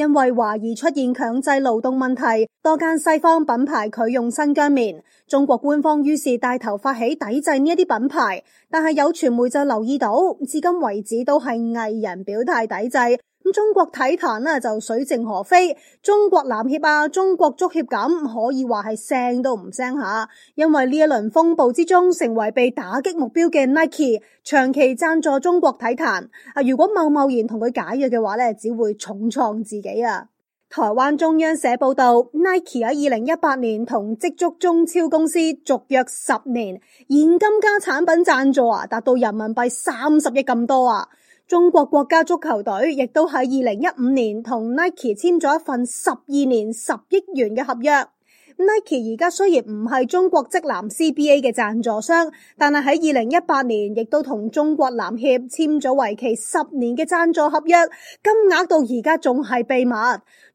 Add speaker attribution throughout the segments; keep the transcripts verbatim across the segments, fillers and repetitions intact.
Speaker 1: 因為懷疑出現強制勞動問題，多間西方品牌拒用新疆棉，中國官方於是帶頭發起抵制呢一啲品牌。但係有傳媒就留意到，至今為止都係藝人表態抵制。咁中國體壇呢就水靜河飛，中國籃協啊、中國足協咁可以話係聲都唔聲下，因為呢一輪風暴之中，成為被打擊目標嘅 Nike 長期贊助中國體壇。啊，如果貿貿然同佢解約嘅話呢，只會重創自己啊！台灣中央社報道 ，Nike 喺二零一八年同積足中超公司續約十年，現金加產品贊助啊，達到人民幣三十億咁多啊！中國國家足球隊亦都喺二零一五年同 Nike 簽咗一份十二年十億元嘅合約。Nike 而家雖然唔係中國職籃 C B A 嘅贊助商，但係喺二零一八年亦都同中國籃協簽咗為期十年嘅贊助合約，金額到而家仲係秘密。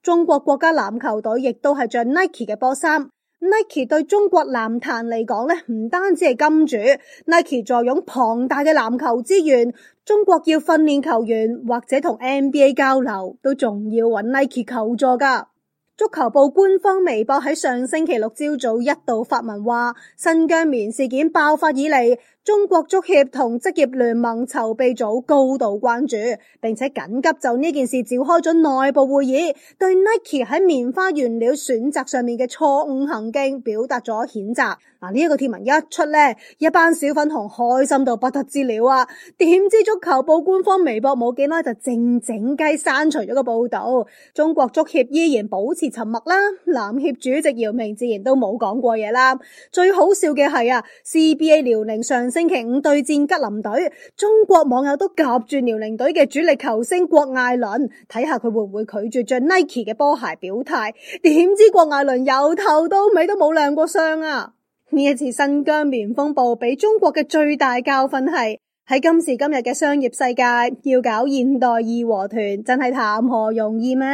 Speaker 1: 中國國家籃球隊亦都係着 Nike 嘅波衫。Nike 對中國籃壇嚟講咧，唔單止係金主 ，Nike 坐擁龐大嘅籃球資源。中國要訓練球員或者同 N B A 交流，都仲要揾 Nike 求助噶。足球部官方微博喺上星期六朝早一度發文話，新疆棉事件爆發以嚟，中國足協同職業聯盟籌備組高度關注，並且緊急就呢件事召開咗內部會議，對 Nike 喺棉花原料選擇上面嘅錯誤行徑表達咗譴責。嗱，呢一個貼文一出呢，一班小粉紅開心到不得之了啊！點知足球部官方微博冇幾耐就靜靜雞刪除咗個報道，中國足協依然保持沉默啦，籃協主席姚明自然都冇講過嘢啦。最好笑嘅係啊 ，C B A 遼寧上星期五對戰吉林隊，中國網友都夾住遼寧隊嘅主力球星郭艾倫，睇下佢會唔會拒絕着 Nike 嘅波鞋表態。點知郭艾倫由頭到尾都冇亮過相啊！呢一次新疆棉風暴俾中國嘅最大教訓係，喺今時今日嘅商業世界，要搞現代義和團真係談何容易咩？